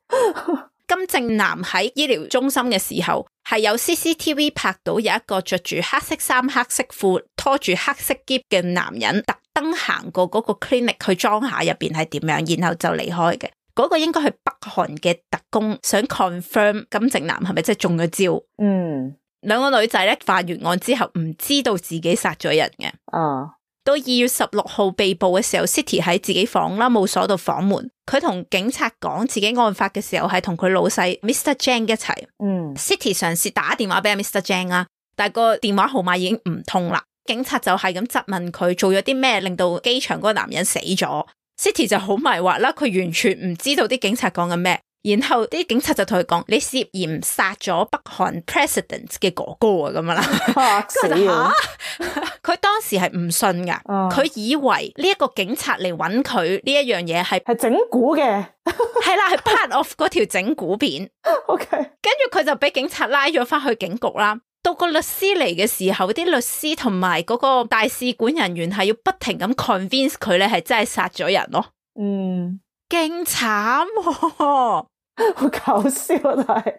金正男喺醫療中心嘅時候，係有 CCTV 拍到有一個着住黑色衫、黑色褲、拖住黑色篋嘅男人，特登行過嗰個 clinic 去裝下入邊係點樣，然後就離開嘅。嗰個應該係北韓嘅特工，想 confirm 金正男係咪真係中咗招。兩個女仔咧犯完案之後唔知道自己殺咗人嘅。到2月16號被捕嘅時候 ，City 喺自己房啦，冇鎖到房門。佢同警察講自己案發嘅時候係同佢老細 Mr. Jang 一齊。City 嘗試打電話俾 Mr. Jang 啦，但係個電話號碼已經唔通啦。警察就係咁質問佢做咗啲咩令到機場嗰個男人死咗。City 就好迷惑啦，佢完全唔知道啲警察講緊咩。然後啲警察就同佢講：你涉嫌殺咗北韓 President 嘅哥哥啊，咁樣啦。嚇死啊！佢當時係唔信噶，佢以為呢一個警察嚟揾佢呢一樣嘢係整蠱嘅，係啦，係 part of 嗰條整蠱片。OK，跟住佢就俾警察拉咗翻去警局啦。到個律師嚟嘅時候，啲律師同埋嗰個大使館人員係要不停咁 convince 佢咧係真係殺咗人咯。勁慘喎！好搞笑啊！但係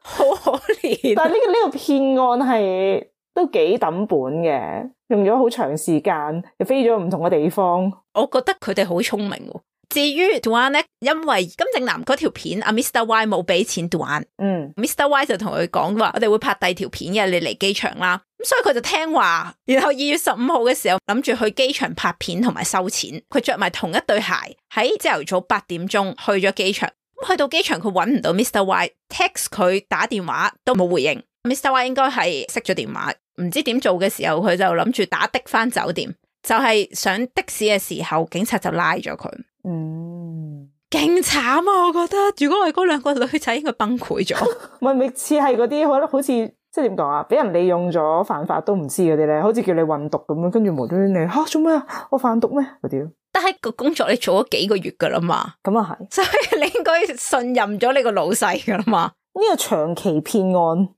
好可憐。但係呢個騙案係都幾抌本嘅，用咗好長時間，又飛咗唔同嘅地方。我覺得佢哋好聰明喎。至於 Duane 咧，因為金正男嗰條片阿 Mr. Y 冇俾錢 Duane，Mr. Y 就同佢講話，我哋會拍第二條片嘅，你嚟機場啦。咁所以佢就聽話，然後2月15號嘅時候諗住去機場拍片同埋收錢。佢着埋同一對鞋，喺朝頭早8點鐘去咗機場。去到機場佢揾唔到 Mr. Y，text 佢打電話都冇回應。Mr. Y 應該係熄咗電話，唔知點做嘅時候，佢就諗住打的翻酒店，就係上的士嘅時候，警察就拉咗佢。勁慘啊！我覺得如果係嗰兩個女仔，應該崩潰咗。咪似係嗰啲，我覺得好似即係點講啊？俾人利用咗犯法都唔知嗰啲咧，好似叫你運毒咁樣，跟住無端端你做咩啊？我販毒咩嗰啲？但係個工作你做咗幾個月噶啦嘛，咁啊係，所以你應該信任咗你個老細噶啦嘛。呢個長期騙案。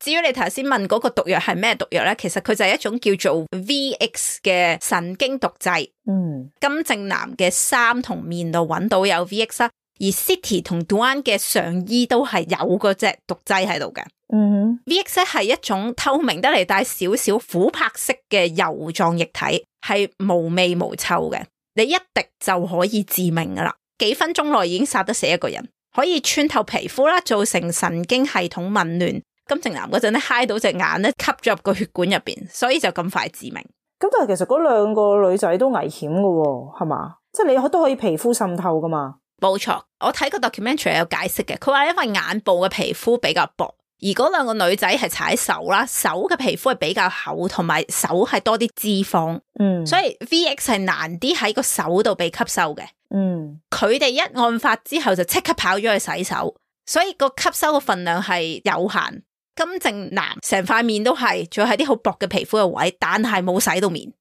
至於你頭先問嗰個毒藥係咩毒藥咧，其實佢就係一種叫做 VX 嘅神經毒劑。金正男嘅衫同面度揾到有 VX 啦，而 City 同 Duane 嘅上衣都係有嗰隻毒劑喺度嘅。VX 係一種透明得嚟帶少少琥珀色嘅油狀液體，係無味無臭嘅。你一滴就可以致命噶啦，幾分鐘內已經殺得死一個人，可以穿透皮膚啦，造成神經系統紊亂。金正男嗰陣咧揩到隻眼咧，吸咗入個血管入邊，所以就咁快致命。咁但係其實嗰兩個女仔都危險噶喎，係嘛？即係你都可以皮膚滲透噶嘛？冇錯，我睇個 documentary 有解釋嘅，佢話因為眼部嘅皮膚比較薄，而而嗰兩個女仔係踩手啦，手嘅皮膚係比較厚，同埋手係多啲脂肪，所以 VX 係難啲喺個手度被吸收嘅。佢哋一案發之後就即刻跑咗去洗手，所以個吸收嘅份量係有限。金正男成塊面都係，仲係啲好薄嘅皮膚嘅位，但係冇洗到面。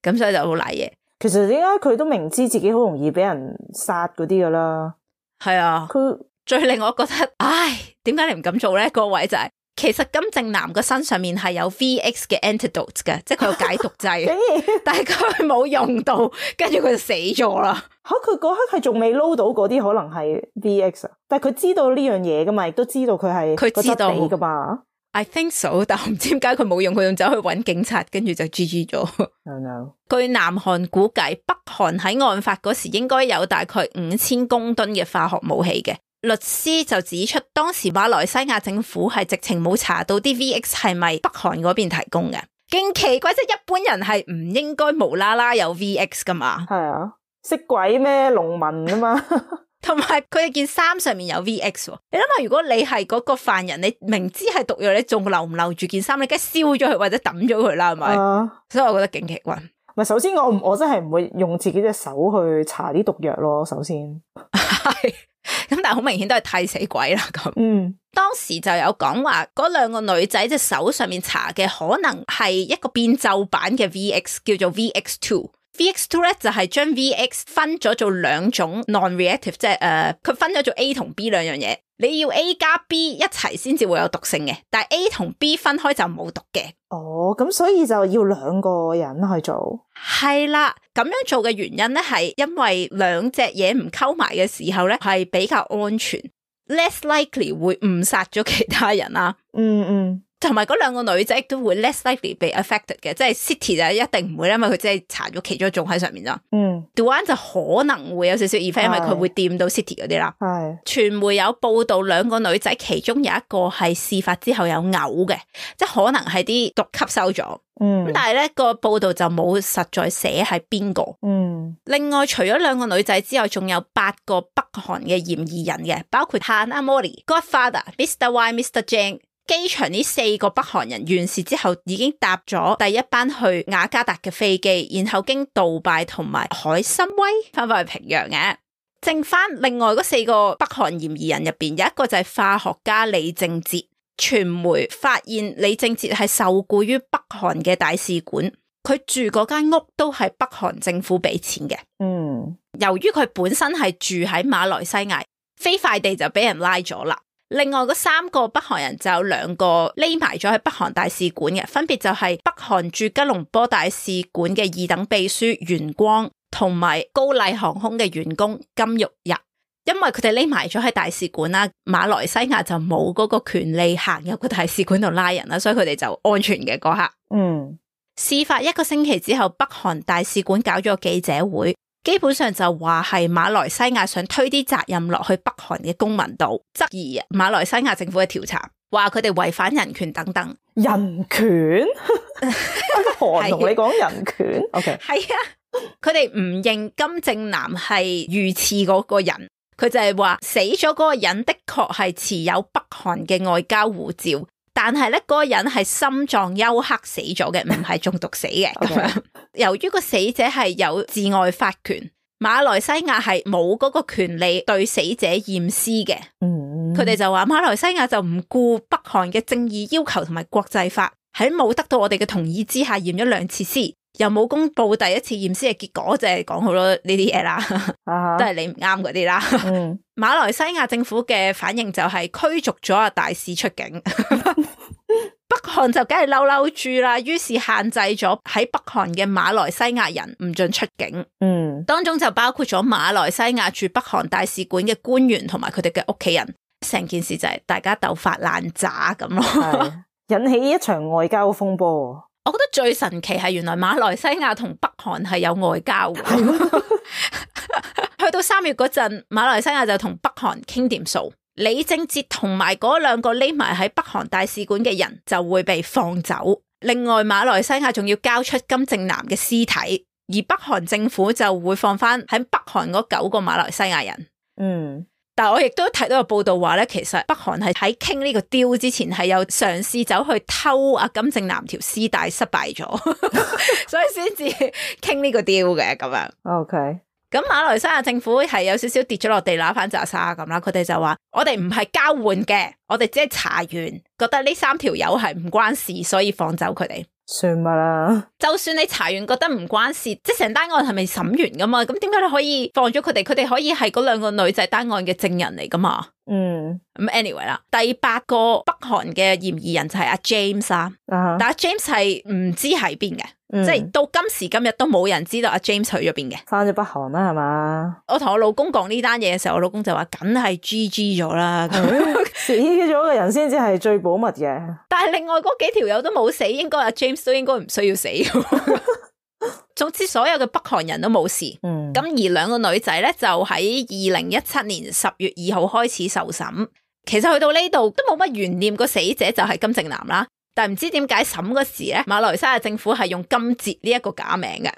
咁所以就好賴嘢。其實點解佢都明知自己好容易俾人殺嗰啲噶啦？係啊，佢最令我覺得，唉，點解你唔敢做咧？個位就係、是，其實金正男個身上面係有 VX 嘅 antidote 嘅，即係佢有解毒劑，但係佢冇用到，跟住佢就死咗啦。吓，佢嗰刻係仲未撈到嗰啲可能係 VX 啊，但係佢知道呢樣嘢噶嘛，亦都知道佢係佢知道噶嘛。I think so， 但我唔知點解佢冇用，佢仲走去揾警察，跟住就 GG 咗。No, no. 據南韓估計，北韓喺案發嗰時應該有大概5000公噸嘅化學武器嘅。律師就指出，當時馬來西亞政府係直情冇查到啲 VX 係咪北韓嗰邊提供嘅，勁奇怪，即係一般人係唔應該無啦啦有 VX 噶嘛。係啊，識鬼咩？農民啊嘛。同埋佢哋件衫上面有 VX， 你諗下，如果你係嗰個犯人，你明知係毒藥，你仲留唔留住件衫？你梗係燒咗佢或者抌咗佢啦，係咪？所以我覺得勁奇怪。唔係，首先我真係唔會用自己隻手去搽啲毒藥咯。首先係咁，但係好明顯都係替死鬼啦。咁當時就有講話，嗰兩個女仔隻手上面搽嘅可能係一個變奏版嘅 VX， 叫做 VX2。VX2 咧就係將 VX 分咗做兩種 non-reactive， 即係佢分咗做 A 同 B 兩樣嘢。你要 A 加 B 一齊先至會有毒性嘅，但係 A 同 B 分開就冇毒嘅。哦，咁所以就要兩個人去做。係啦，咁樣做嘅原因咧係因為兩隻嘢唔溝埋嘅時候咧係比較安全 ，less likely 會誤殺咗其他人啦。同埋嗰兩個女仔亦都會 less likely 被 affected 嘅，即係 City 就一定唔會，因為佢只係搽咗其中一種喺上面咋。Duan 就可能會有少少 effect，因為佢會掂到 City 嗰啲啦。傳媒有報道兩個女仔其中有一個係事發之後有嘔嘅，即係可能係啲毒吸收咗。咁但係咧個報道就冇實在寫係邊個。另外除咗兩個女仔之外，仲有8個北韓嘅嫌疑人嘅，包括 Hana Mori、Godfather、Mr. Y、Mr. Jang。機場呢4個北韓人完事之後已經搭咗第一班去雅加達嘅飛機，然後經杜拜同埋海參崴翻返去平壤嘅。剩翻另外嗰4個北韓嫌疑人入邊，有一個就係化學家李正哲。傳媒發現李正哲係受僱於北韓嘅大使館，佢住嗰間屋都係北韓政府俾錢嘅。由於佢本身係住喺馬來西亞，飛快地就俾人拉咗啦。另外嗰3個北韓人就有2個匿埋咗喺北韓大使館嘅，分別就係北韓駐吉隆坡大使館嘅2等秘書袁光，同埋高麗航空嘅員工金玉日。因為佢哋匿埋咗喺大使館啦，馬來西亞就冇嗰個權利行入個大使館度拉人啦，所以佢哋就安全嘅嗰刻。事發1個星期之後，北韓大使館搞咗個記者會。基本上就話係馬來西亞想推啲責任落去北韓嘅公民度，質疑馬來西亞政府嘅調查，話佢哋違反人權等等。人權？韓同你講人權？OK， 係啊，佢哋唔認金正男係遇刺嗰個人，佢就係話死咗嗰個人的確係持有北韓嘅外交護照，但係咧嗰個人係心臟休克死咗嘅，唔係中毒死嘅。咁樣由於個死者係有治外法權，馬來西亞係冇嗰個權利對死者驗屍嘅。佢哋就話馬來西亞就唔顧北韓嘅正義要求同埋國際法，喺冇得到我哋嘅同意之下驗咗2次屍，又冇公布第一次驗屍嘅結果，就係講好多呢啲嘢啦，都係你唔啱嗰啲啦。馬來西亞政府嘅反應就係驅逐咗大使出境。北韓就梗係嬲嬲住啦，於是限制咗喺北韓嘅馬來西亞人唔准出境。當中就包括咗馬來西亞駐北韓大使館嘅官員同埋佢哋嘅屋企人。成件事就係大家鬥發爛渣咁咯，引起一場外交風波。我覺得最神奇係原來馬來西亞同北韓係有外交嘅。去到3月嗰陣，馬來西亞就同北韓傾掂數，李正哲同埋嗰2個匿埋喺北韓大使館嘅人就會被放走。另外馬來西亞仲要交出金正男嘅屍體，而北韓政府就會放翻喺北韓嗰9個馬來西亞人。但係我亦都睇到個報道話咧，其實北韓係喺傾呢個 deal 之前係有嘗試走去偷阿金正男條絲帶，失敗咗，所以先至傾呢個 deal 嘅咁樣。OK。咁馬來西亞政府係有少少跌咗落地揦番拃沙咁啦，佢哋就話我哋唔係交換嘅，我哋只係查完，覺得呢3條友係唔關事，所以放走佢哋。算吧啦，就算你查完覺得唔關事，即係成單案係咪審完噶嘛？咁點解你可以放咗佢哋？佢哋可以係嗰2個女仔單案嘅證人嚟噶嘛？咁 anyway 啦，第8個北韓嘅嫌疑人就係阿 James 啦，但阿 James 係唔知喺邊嘅，即係到今時今日都冇人知道阿 James 去咗邊嘅，翻咗北韓啦係嘛？我同我老公講呢單嘢嘅時候，我老公就話梗係 GG 咗啦，死咗嘅人先至係最保密嘅。但係另外嗰幾條友都冇死，應該阿 James 都應該唔需要死。總之所有嘅北韓人都冇事，咁而2個女仔咧就喺2017年10月2號開始受審。其實去到呢度都冇乜懸念，個死者就係金正男啦。但係唔知點解審嗰時咧，馬來西亞政府係用金哲呢一個假名嘅。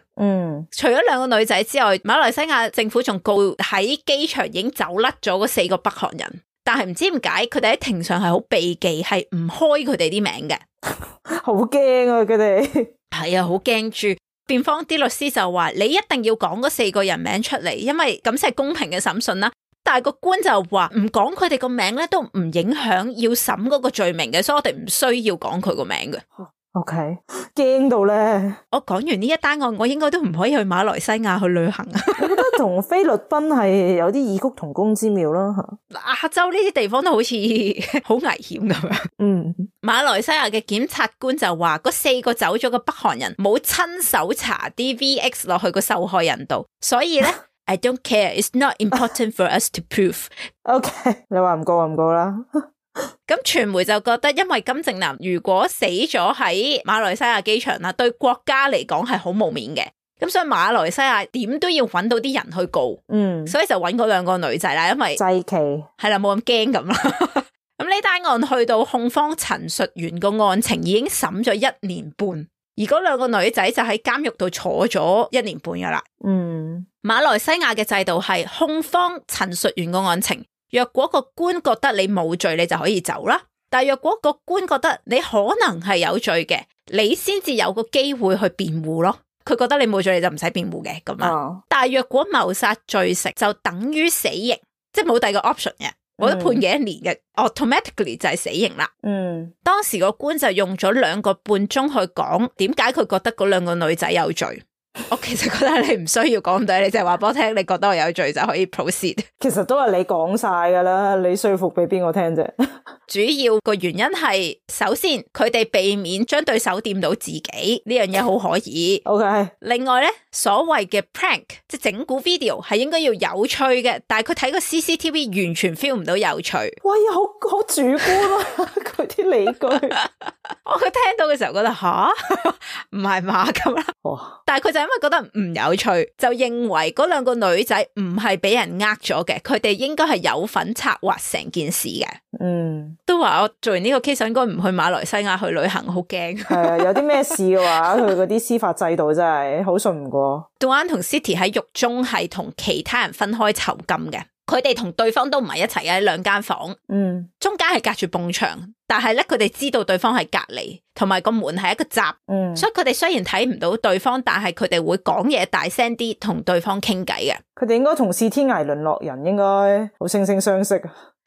除咗2個女仔之外，馬來西亞政府仲告喺機場已經走甩咗嗰4個北韓人。但係唔知點解佢哋喺庭上係好避忌，係唔開佢哋啲名嘅。好驚啊！佢哋係啊，好驚住。辯方啲律師就話你一定要講嗰4個人名出嚟，因為咁先係公平嘅審訊啦。但係個官就話唔講佢哋個名咧，都唔影響要審嗰個罪名嘅，所以我哋唔需要講佢個名嘅。OK， 驚到咧！我講完呢一單案，我應該都唔可以去馬來西亞去旅行啊！我覺得同菲律賓係有啲異曲同工之妙啦。亞洲呢啲地方都好似好危險咁樣。馬來西亞嘅檢察官就話嗰4個走咗嘅北韓人冇親手搽啲 VX 落去個受害人度，所以咧I don't care, it's not important for us to prove. OK， 你話唔告就唔告啦。咁傳媒就覺得，因為金正男如果死咗喺馬來西亞機場啦，對國家嚟講係好冇面嘅。咁所以馬來西亞點都要揾到啲人去告。所以就揾嗰2個女仔啦，因為祭旗係啦，冇咁驚咁啦。咁呢單案去到控方陳述完個案情，已經審咗1年半，而嗰2個女仔就喺監獄度坐咗1年半噶啦。馬來西亞嘅制度係控方陳述完個案情，若果個官覺得你冇罪，你就可以走啦。但係若果個官覺得你可能係有罪嘅，你先至有個機會去辯護咯。佢覺得你冇罪，你就唔使辯護嘅咁樣。但係若果謀殺罪成，就等於死刑，即係冇第二個 option 嘅。我都判幾1年嘅，automatically 就係死刑啦。當時個官就用咗2個半鐘去講點解佢覺得嗰2個女仔有罪。我其實覺得你唔需要講咁多，你淨係話俾我聽，你覺得我有罪就可以 proceed。其實都係你講晒噶啦，你說服俾邊個聽啫？主要個原因係，首先佢哋避免將對手掂到自己呢樣嘢好可以。OK。另外咧，所謂嘅 prank 即係整蠱 video 係應該要有趣嘅，但係佢睇個 CCTV 完全 feel 唔到有趣。喂，好主觀啊！佢啲理據，我聽到嘅時候覺得吓，唔係嘛咁啦。但係佢就因為覺得唔有趣，就認為嗰2個女仔唔係俾人呃咗嘅，佢哋應該係有份策劃成件事嘅。都話我做完呢個 case 應該唔去馬來西亞去旅行，好驚。係啊，有啲咩事嘅話，佢嗰啲司法制度真係好信唔過。Duan 同 Siti 喺獄中係同其他人分開囚禁嘅，佢哋同對方都唔係一齊嘅，喺2間房，中間係隔住埲牆，但係咧佢哋知道對方係隔離，同埋個門係一個閘，所以佢哋雖然睇唔到對方，但係佢哋會講嘢大聲啲，同對方傾偈嘅。佢哋應該同是天涯淪落人，應該好惺惺相惜。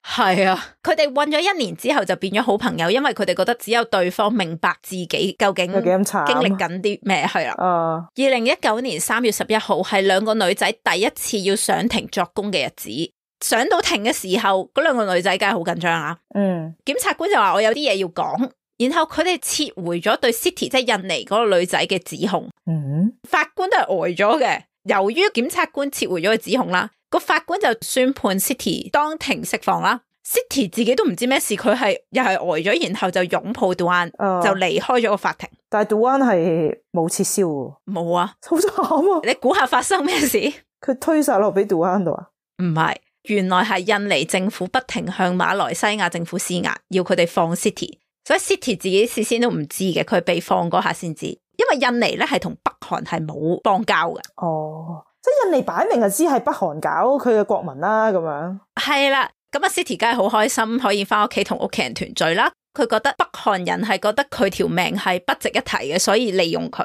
係啊，佢哋混咗1年之後就變咗好朋友，因為佢哋覺得只有對方明白自己究竟經歷緊啲咩。係啦。2019年3月11號係2個女仔第一次要上庭作供嘅日子。上到庭嘅時候，嗰2個女仔梗係好緊張啦。檢察官就話我有啲嘢要講，然後佢哋撤回咗對 Siti 即係印尼嗰個女仔嘅指控。法官都係呆咗嘅。由於檢察官撤回咗個指控啦，個法官就宣判 Siti 當庭釋放啦。Siti 自己都唔知咩事，佢係又係呆咗，然後就擁抱 Duan 就離開咗個法庭。但係 Duan 係冇撤銷喎。冇啊，好慘啊！你估下發生咩事？佢推晒落俾 Duan 度啊？唔係，原來係印尼政府不停向馬來西亞政府施壓，要佢哋放 Siti， 所以 Siti 自己事先都唔知嘅，佢被放嗰下先知。因為印尼咧係同北韓係冇邦交嘅。即係印尼擺明就知係北韓搞佢嘅國民啦，咁樣。係啦，咁啊 City 梗係好開心可以翻屋企同屋企人團聚啦。佢覺得北韓人係覺得佢條命係不值一提嘅，所以利用佢。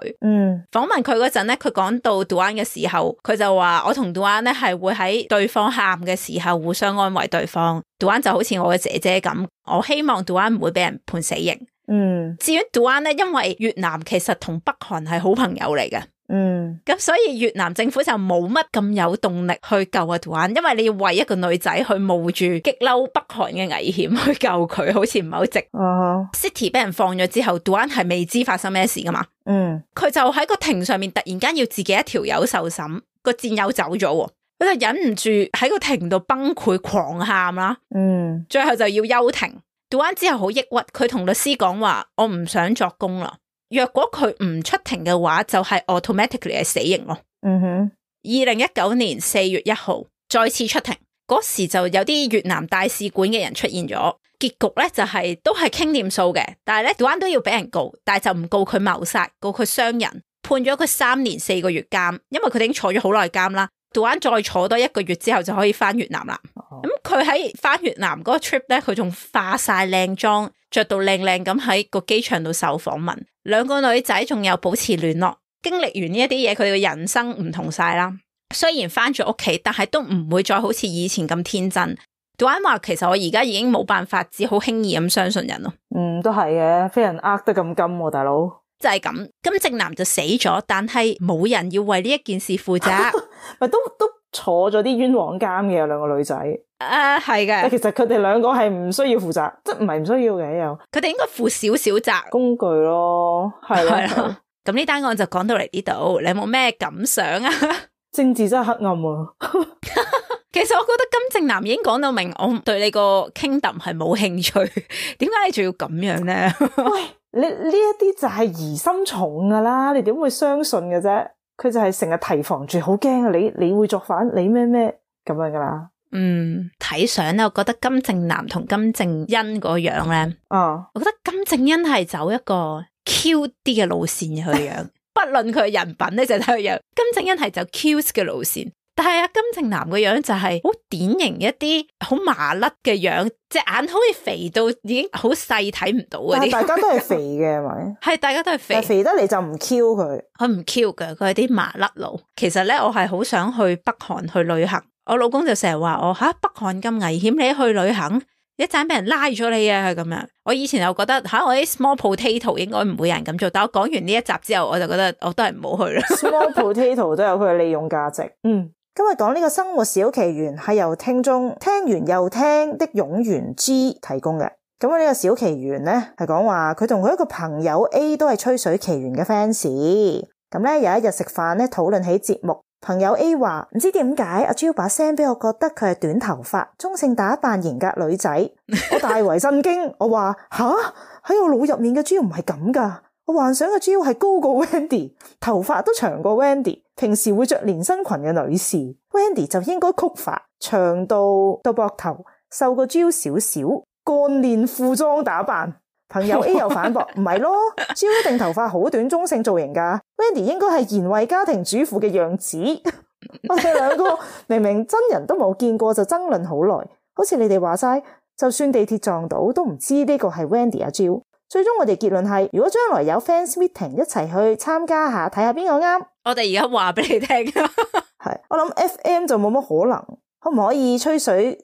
訪問佢嗰陣咧，佢講到 Duan 嘅時候，佢就話我同 Duan 咧係會喺對方喊嘅時候互相安慰對方。Duan 就好似我嘅姐姐咁，我希望 Duan 唔會俾人判死刑。至於 Duan 咧，因為越南其實同北韓係好朋友嚟嘅。咁所以越南政府就冇乜咁有動力去救阿 Duan， 因為你要為一個女仔去冒住激嬲北韓嘅危險去救佢，好似唔係好值。City 俾人放咗之後 Duan 係未知發生咩事噶嘛。佢就喺個庭上面突然間要自己一條友受審，個戰友走咗，佢就忍唔住喺個庭度崩潰狂喊啦。最後就要休庭。Duan 之後好抑鬱，佢同律師講話：我唔想作供啦。若果佢唔出庭嘅話，就係 automatically 係死刑咯。2019年4月1號再次出庭，嗰時就有啲越南大使館嘅人出現咗，結局咧就係都係傾掂數嘅，但係咧 Duan 都要俾人告，但係就唔告佢謀殺，告佢傷人，判咗佢3年4個月監，因為佢哋已經坐咗好耐監啦。Duan 再坐多1個月之後就可以翻越南啦。咁佢喺翻越南嗰個 trip 咧，佢仲化晒靚妝，着到靚靚咁喺個機場度受訪問。兩個女仔仲有保持聯絡。經歷完呢一啲嘢，佢哋嘅人生唔同晒啦。雖然翻咗屋企，但係都唔會再好似以前咁天真。Duan 話其實我而家已經冇辦法，只好輕易咁相信人咯。都係嘅，俾人呃得咁金喎，大佬。就係咁，金正男就死咗，但係冇人要為呢一件事負責。咪都坐咗啲冤枉監嘅，有兩個女仔。係嘅。但其實佢哋兩個係唔需要負責，即係唔係唔需要嘅又。佢哋應該負少少責。工具咯，係啦。咁呢單案就講到嚟呢度，你有冇咩感想啊？政治真係黑暗啊！其實我覺得金正男已經講到明，我對你個 kingdom 係冇興趣，點解你仲要咁樣咧？喂，你呢一啲就係疑心重噶啦，你點會相信嘅啫？佢就係成日提防住，好驚啊！你會作反，你咩咁樣噶啦？睇相咧，我覺得金正男同金正恩嗰樣咧，我覺得金正恩係走一個 Q 啲嘅路線嘅佢樣，不論佢嘅人品咧就睇佢樣，金正恩係走 cute 嘅路線。但係金正男個樣就係好典型一啲好麻甩嘅樣，隻眼好似肥到已經好細睇唔到嗰啲。大家都係肥嘅係咪？係大家都係肥，但肥得嚟就唔 Q 佢。佢唔 Q 嘅，佢係啲麻甩佬。其實咧，我係好想去北韓去旅行。我老公就成日話我北韓咁危險，你去旅行一陣俾人拉咗你啊咁樣。我以前又覺得我啲 small potato 應該唔會有人咁做，但我講完呢一集之後，我就覺得我都係唔好去啦。Small potato 都有佢嘅利用價值。今日講呢個生活小奇緣係由聽眾聽完又聽的湧源 G 提供嘅。咁呢個小奇緣呢係講話佢同佢一個朋友 A 都係吹水奇緣嘅 fans。咁呢有一日食飯呢討論起節目，朋友 A 話唔知點解阿 Jill 把聲俾我覺得佢係短頭髮、中性打扮、型格女仔。我大為震驚，我話吓，喺我腦入面嘅 Jill 唔係咁噶。我幻想嘅 Jill 係高過 Wendy， 頭髮都長過 Wendy， 平時會着連身裙嘅女士。Wendy 就應該曲髮，長到膊頭，瘦過 Jill 少少，幹練褲裝打扮。朋友 A 又反駁，唔係咯，Jill 一定頭髮好短，中性造型噶。Wendy 應該係賢惠家庭主婦嘅樣子。我哋兩個明明真人都冇見過就爭論好耐，好似你哋話齋，就算地鐵撞到都唔知呢個係 Wendy 阿 Jill。最終我哋結論係，如果將來有 fans meeting 一齊去參加下，睇下邊個啱。我哋而家話俾你聽，係我諗 FM 就冇乜可能，可唔可以吹水？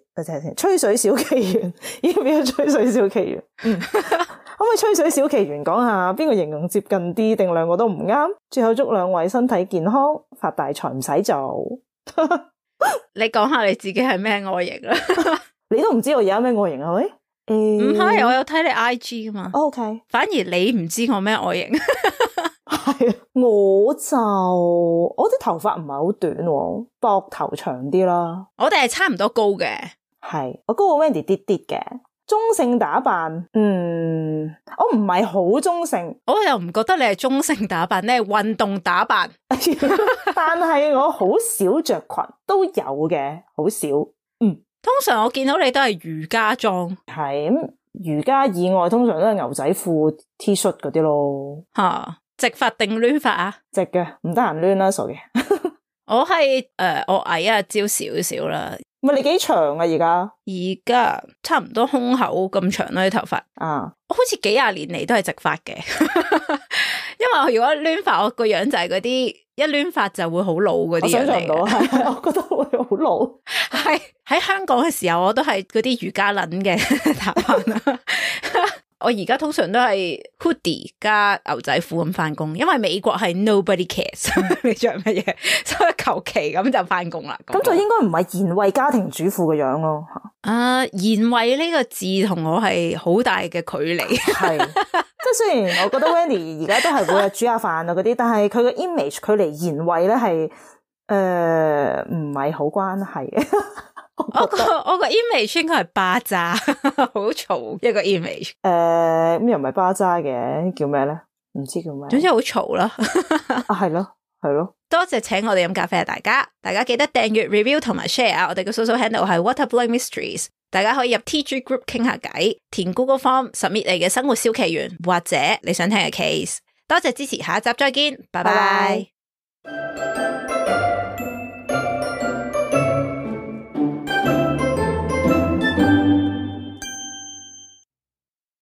吹水小奇緣，要唔要吹水小奇緣？可唔可以吹水小奇緣講下邊個形容接近啲，定兩個都唔啱？最後祝兩位身體健康，發大財唔使做。你講下你自己係咩外形啦？你都唔知我而家咩外形係咪？唔係，我有睇你 IG 噶嘛。OK， 反而你唔知我咩外形。係我啲頭髮唔係好短，膊頭長啲啦。我哋係差唔多高嘅，係我高過 Wendy 啲啲嘅。中性打扮，我唔係好中性，我又唔覺得你係中性打扮，你係運動打扮。但係我好少着裙，都有嘅，好少。通常我見到你都係瑜伽裝，係咁瑜伽以外，通常都係牛仔褲、T 恤嗰啲咯。直髮定攣髮啊？直嘅，唔得閒攣啦，傻嘅。我係我矮啊，焦少少啦。唔係你幾長啊？而家差唔多胸口咁長啦啲頭髮。啊，我好似幾廿年嚟都係直髮嘅，因為我如果亂髮，我個樣就係嗰啲一亂髮就會好老嗰啲樣嚟。我想象唔到，係我覺得會好老。係喺香港嘅時候，我都係嗰啲瑜伽撚嘅打扮啦。我而家通常都係 hoodie 加牛仔褲咁翻工，因為美國係 nobody cares 你着乜嘢，所以求其咁就翻工啦。咁就應該唔係賢惠家庭主婦嘅樣咯。賢惠呢個字同我係好大嘅距離。係，即係雖然我覺得 Wendy 而家都係會煮下飯啊嗰啲，但係佢嘅 image 距離賢惠咧係唔係好關係嘅。我個 image 應該係巴渣，好嘈一個 image。咩又唔係巴渣嘅，叫咩咧？唔知叫咩。總之好嘈啦。係咯，係咯。多謝請我哋飲咖啡啊！大家記得訂閱、review 同埋 share。我哋嘅 social handle 係 Water Blowing Mysteries。大家可以入 TG Group 傾下偈，填 Google Form submit 你嘅生活小奇緣或者你想聽嘅 case。多謝支持，下一集再見，拜拜。